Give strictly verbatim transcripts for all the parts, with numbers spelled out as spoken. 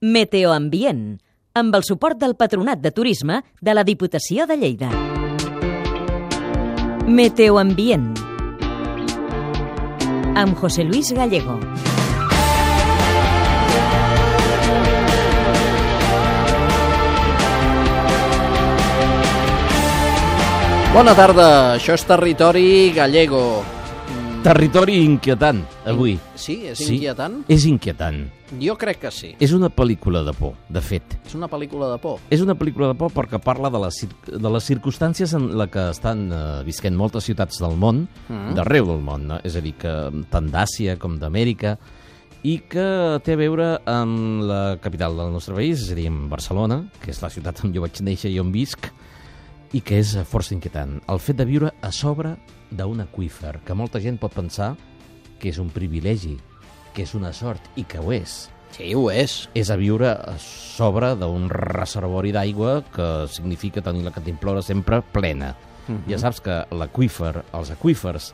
Meteoambient, amb el suport del Patronat de Turisme de la Diputació de Lleida. Meteoambient, amb José Luis Gallego. Bona tarda, això és Territori Gallego. Territori inquietant, avui. Sí? És inquietant? Sí, és inquietant. Jo crec que sí. És una pel·lícula de por, de fet. És una pel·lícula de por? És una pel·lícula de por perquè parla de les, de les circumstàncies en la que estan uh, visquent moltes ciutats del món, mm. d'arreu del món, no? És a dir, que tant d'Àsia com d'Amèrica, i que té a veure amb la capital del nostre país, és a dir, amb Barcelona, que és la ciutat on jo vaig néixer i on visc, i que és força inquietant. El fet de viure a sobre d'un aqüífer, que molta gent pot pensar que és un privilegi, que és una sort, i que ho és. Sí, ho és. És a viure a sobre d'un reservori d'aigua que significa tenir la cantimplora sempre plena. Uh-huh. Ja saps que l'aqüífer, els aqüífers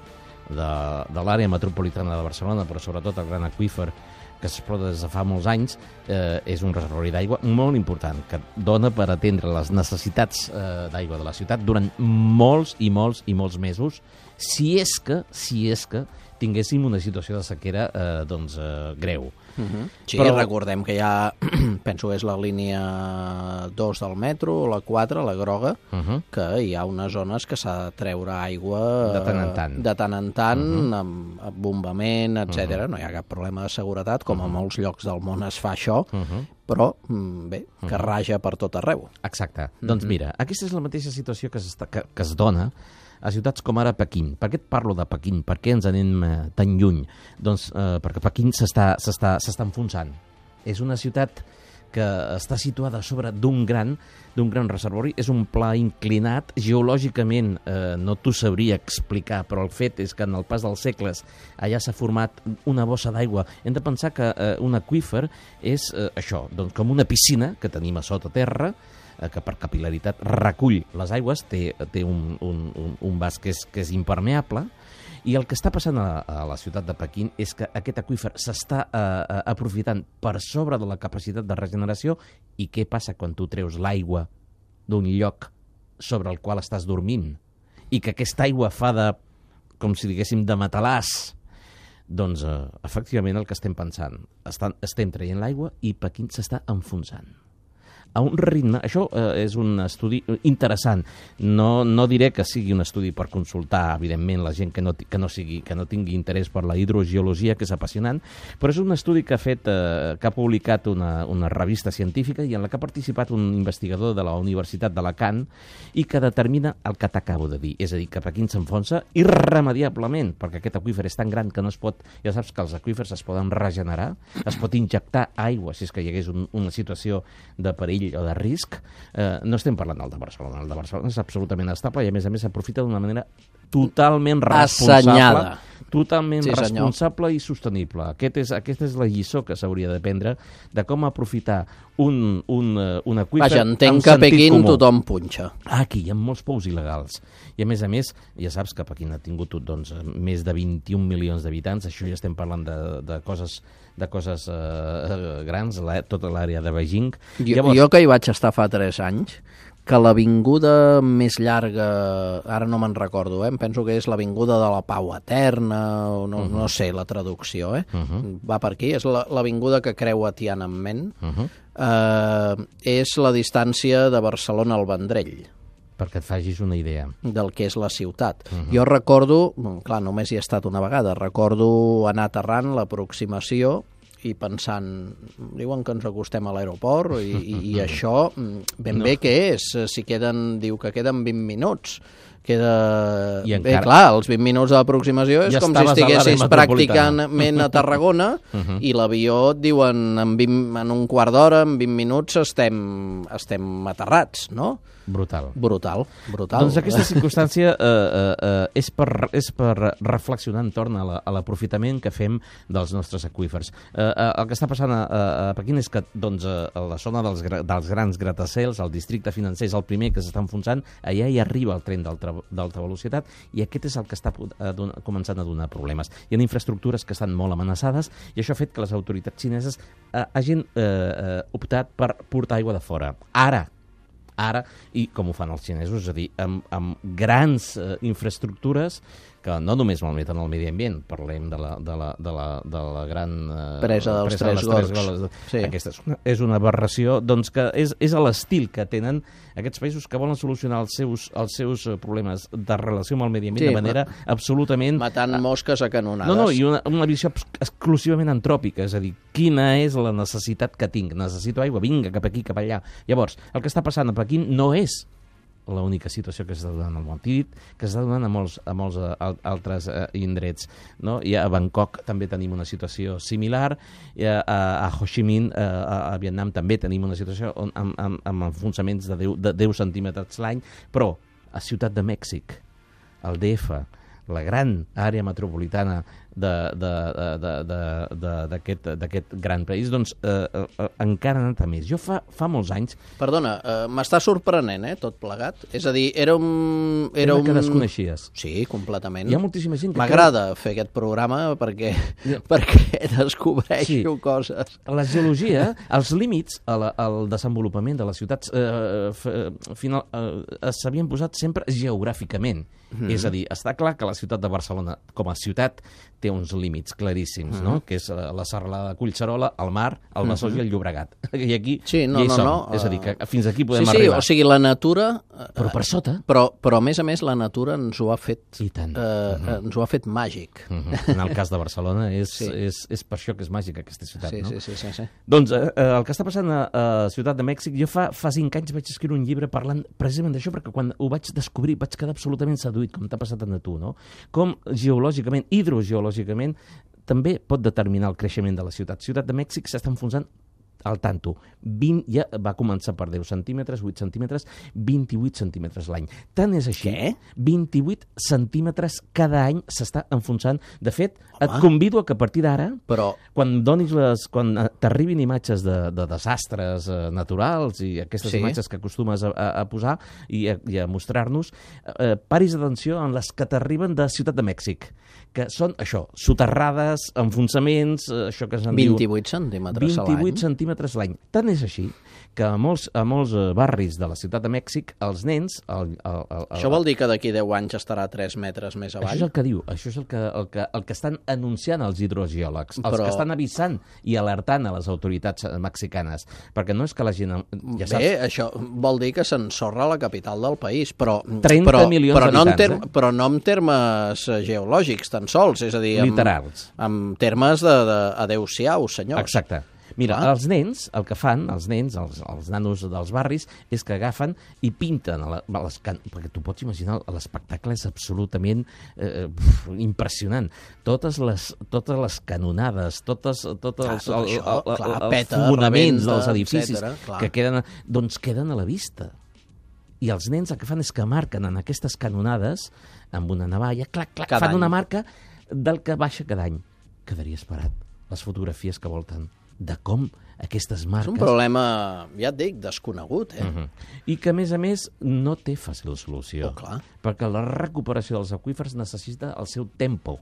de, de l'àrea metropolitana de Barcelona, però sobretot el gran aqüífer que s'explota des de fa molts anys, eh, és un reservori d'aigua molt important, que dona per atendre les necessitats eh, d'aigua de la ciutat durant molts i molts i molts mesos, si és que, si és que tinguéssim una situació de sequera eh, doncs, eh, greu. Uh-huh. Sí, però recordem que hi ha, penso que és la línia dos del metro, la quatre, la groga, uh-huh. que hi ha unes zones que s'ha de treure aigua de tant en tant, de tant, en tant uh-huh. amb, amb bombament, etcètera. Uh-huh. No hi ha cap problema de seguretat, com uh-huh. a molts llocs del món es fa això, uh-huh. però, bé, que uh-huh. raja per tot arreu. Exacte. Uh-huh. Doncs mira, aquesta és la mateixa situació que, que, que es dona a ciutats com ara Pequín. Per què et parlo de Pequín? Per què ens anem eh, tan lluny? Doncs eh, perquè Pequín s'està enfonsant. És una ciutat que està situada sobre d'un gran, d'un gran reservori. És un pla inclinat. Geològicament eh, no t'ho sabria explicar, però el fet és que en el pas dels segles allà s'ha format una bossa d'aigua. Hem de pensar que eh, un aqüífer és eh, això, doncs com una piscina que tenim a sota terra, que per capil·laritat recull les aigües, té, té un, un, un, un vas que és, que és impermeable, i el que està passant a, a la ciutat de Pequín és que aquest aqüífer s'està eh, aprofitant per sobre de la capacitat de regeneració. I què passa quan tu treus l'aigua d'un lloc sobre el qual estàs dormint i que aquesta aigua fa de, com si diguéssim, de matalàs? Doncs, eh, efectivament, el que estem pensant, estan, estem traient l'aigua i Pequín s'està enfonsant a un ritme. Això eh, és un estudi interessant. No, no diré que sigui un estudi per consultar, evidentment, la gent que no, que no, sigui, que no tingui interès per la hidrogeologia, que és apassionant, però és un estudi que ha fet, eh, que ha publicat una, una revista científica i en la que ha participat un investigador de la Universitat d'Alacant i que determina el que t'acabo de dir. És a dir, que Pequín s'enfonsa irremediablement, perquè aquest aqüífer és tan gran que no es pot... Ja saps que els aqüífers es poden regenerar, es pot injectar aigua si és que hi hagués un, una situació de perill o de risc. Eh, no estem parlant del de Barcelona. El de Barcelona és absolutament estable i, a més a més, s'aprofita d'una manera totalment responsable. Assenyada. Totalment sí, responsable i sostenible. Aquest és, aquesta és la lliçó que s'hauria de prendre de com aprofitar un, un, un aqüífer. Vaja, entenc que a Pequín tothom punxa. Ah, aquí hi ha molts pous il·legals. I, a més a més, ja saps que Pequín ha tingut doncs, més de vint-i-un milions d'habitants. Això ja estem parlant de, de coses, de coses uh, grans, la, tota l'àrea de Beijing. Jo, Llavors... jo que hi vaig estar fa tres anys, que l'avinguda més llarga, ara no me'n recordo, eh? Em penso que és l'avinguda de la Pau Eterna, o no, uh-huh. no sé la traducció, eh? Uh-huh. Va per aquí, és l'avinguda que creua Tiananmen, uh-huh. eh, és la distància de Barcelona al Vendrell. Perquè et facis una idea. Del que és la ciutat. Uh-huh. Jo recordo, clar, només hi he estat una vegada, recordo anar aterrant l'aproximació i pensant, diuen que ens acostem a l'aeroport i, i, i això ben no. bé què és? Si queden, diu que queden vint minuts. Queda... I bé, encara... clar, els vint minuts d'aproximació és ja com si estiguessis pràcticament a Tarragona uh-huh. i l'avió et diuen en, vint, en un quart d'hora, en vint minuts estem, estem aterrats, no? Brutal. Brutal, brutal. Doncs aquesta circumstància eh, eh, és, per, és per reflexionar entorn a l'aprofitament la, que fem dels nostres aqüífers. Eh, eh, el que està passant a, a Pequín és que doncs, a la zona dels, dels grans gratacels, el districte financer és el primer que s'està enfonsant, allà hi arriba el tren d'alta velocitat i aquest és el que està a donar, començant a donar problemes. Hi ha infraestructures que estan molt amenaçades i això ha fet que les autoritats xineses eh, hagin eh, eh, optat per portar aigua de fora. Ara, ara, i com ho fan els xinesos, és a dir, amb, amb grans eh, infraestructures que no només malmeten el medi ambient, parlem de la, de la, de la, de la gran eh, presa dels presa Tres de Gorgs. Gorgs. Sí. Aquesta és una, és una aberració, doncs que és, és a l'estil que tenen aquests països que volen solucionar els seus, els seus problemes de relació amb el medi ambient Sí, de manera ma- absolutament... Matant mosques a canonades. No, no, i una, una visió exclusivament antròpica, és a dir, quina és la necessitat que tinc? Necessito aigua, vinga, cap aquí, cap allà. Llavors, el que està passant a Pequín no és l'única situació que s'està donant al món. T'he dit que s'està donant a molts, a molts uh, altres uh, indrets. No? I a Bangkok també tenim una situació similar, i a, a, a Ho Chi Minh, uh, a, a Vietnam, també tenim una situació on, amb, amb, amb enfonsaments de deu, de deu centímetres l'any, però a Ciutat de Mèxic, el D F, la gran àrea metropolitana d'aquest gran país, doncs eh, eh, encara ha anat a més. Jo fa, fa molts anys... Perdona, eh, m'està sorprenent, eh, tot plegat. És a dir, era un... Era Era un... que un... desconeixies. Sí, completament. Hi ha moltíssima gent que... M'agrada fer aquest programa perquè, perquè descobreixo Sí. coses. La geologia, els límits a la, al desenvolupament de les ciutats eh, f- final, eh, s'havien posat sempre geogràficament. Mm. És a dir, està clar que la ciutat de Barcelona, com a ciutat, té uns límits claríssims, mm. no? Que és la, la serralada de Collserola, el mar, el Besòs mm-hmm. i el Llobregat. I aquí Sí, no, ja hi no, som. no, És a dir, que uh, fins aquí podem sí, sí, arribar. o sigui, la natura... eh, Però per sota... Però, però, a més a més, la natura ens ho ha fet... I tant. Eh, Mhm. ens ho ha fet màgic. Mm-hmm. En el cas de Barcelona és, Sí. és, és per això que és màgica aquesta ciutat, Sí, no? sí, sí, sí, sí. Doncs eh, eh, el que està passant a, a Ciutat de Mèxic, jo fa, fa cinc anys vaig escriure un llibre parlant precisament d'això, perquè quan ho vaig descobrir vaig quedar absolutament seduït, com t'ha passat a tu, no? Com geològicament, hidrogeològicament, també pot determinar el creixement de la ciutat. Ciutat de Mèxic s'està enfonsant al tanto. vint, ja va començar per deu centímetres, vuit centímetres, vint-i-vuit centímetres l'any. Tant és així. Què? vint-i-vuit centímetres cada any s'està enfonsant. De fet, Home. et convido a que a partir d'ara, Però, quan donis les, quan eh, t'arribin imatges de, de desastres eh, naturals i aquestes Sí. imatges que acostumes a, a, a posar i a, i a mostrar-nos, eh, paris atenció en les que t'arriben de Ciutat de Mèxic, que són això, soterrades, enfonsaments, eh, això que se'n diu... vint-i-vuit centímetres a l'any. vint-i-vuit centímetres l'any. Tant és així que a molts, a molts eh, barris de la Ciutat de Mèxic, els nens... El, el, el, el, Això vol dir que d'aquí deu anys estarà a tres metres més avall? això és el que diu, això és el que, el que, el que estan anunciant els hidrogeòlegs, els Però- que estan avisant i alertant a les autoritats eh, mexicanes, perquè no és que la gent... Ja saps, Bé, això vol dir que s'ensorra la capital del país, però, trenta però, milions però, no en d'habitants, term, però no en termes eh, geològics tan sols, és a dir, en, literals. en termes de, de adeu-siau, senyors. Exacte. Mira, Clar. els nens, el que fan, els nens, els, els nanos dels barris, és que agafen i pinten, a la, a les can... perquè tu pots imaginar, l'espectacle és absolutament eh, pf, impressionant. Totes les, totes les canonades, totes, totes Clar, els, tot el, això, el, el, clar, els peta, fonaments rebenta, dels edificis etcètera, clar. que queden, doncs queden a la vista. I els nens el que fan és que marquen en aquestes canonades, amb una navalla, clac, clac, Cada fan any. una marca del que baixa cada any. Quedaria esperat les fotografies que volten de com aquestes És un marques... problema, ja et dic, desconegut, eh? Uh -huh. I que, a més a més, no té fàcil solució. Oh, clar. Perquè la recuperació dels aqüífers necessita el seu tempo.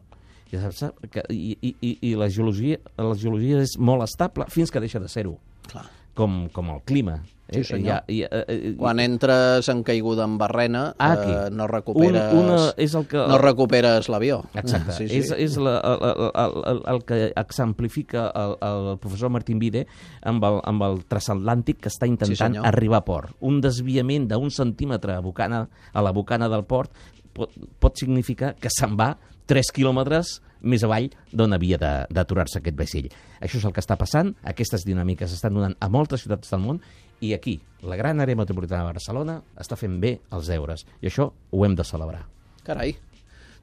Ja saps, sap que, i, i, i, i la geologia, la geologia és molt estable fins que deixa de ser-ho. Clar. Com, com el clima. Sí, senyor. Ja, i, eh, eh, Quan entres en caiguda en barrena, Ah, aquí. eh, no recuperes, Un- una- és el que- no recuperes l'avió. Exacte. Sí, sí. És, és la, el, el, el, el que exemplifica el, el professor Martín Vide amb el, amb el transatlàntic que està intentant Sí, senyor. arribar a port. Un desviament d'un centímetre a, bocana, a la bocana del port pot, pot significar que se'n va tres quilòmetres més avall d'on havia de- d'aturar-se aquest vaixell. Això és el que està passant, aquestes dinàmiques estan donant a moltes ciutats del món i aquí, la gran àrea metropolitana de Barcelona està fent bé els deures i això ho hem de celebrar. Carai.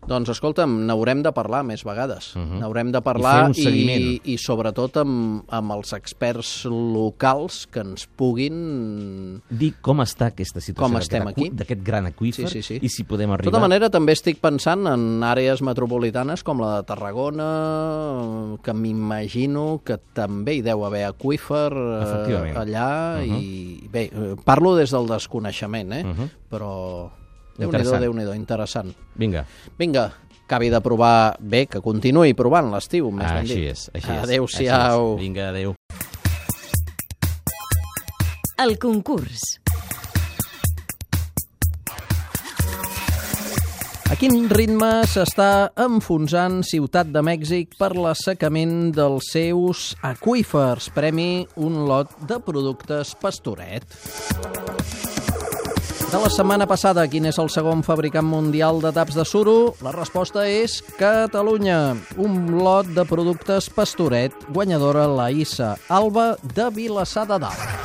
Doncs escolta'm, n'haurem de parlar més vegades. Uh-huh. N'haurem de parlar I, i, i, i sobretot amb, amb els experts locals que ens puguin... dir com està aquesta situació estem aquí. d'aquest gran aqüífer Sí, sí, sí. i si podem De arribar... tota manera, també estic pensant en àrees metropolitanes com la de Tarragona, que m'imagino que també hi deu haver aqüífer eh, allà. Uh-huh. I bé, parlo des del desconeixement, eh? Uh-huh. Però... Déu-n'hi-do, Déu-n'hi-do, interessant. Vinga. Vinga, acabi de provar bé, que continuï provant l'estiu, més Ah, ben dit. així és, així és. Adéu-siau. Vinga, adéu. El concurs. A quin ritme s'està enfonsant Ciutat de Mèxic per l'assecament dels seus aqüífers? Premi un lot de productes Pastoret. De la setmana passada, quin és el segon fabricant mundial de taps de suro? La resposta és Catalunya. Un lot de productes Pastoret, guanyadora la Issa Alba de Vilassar de Dalt.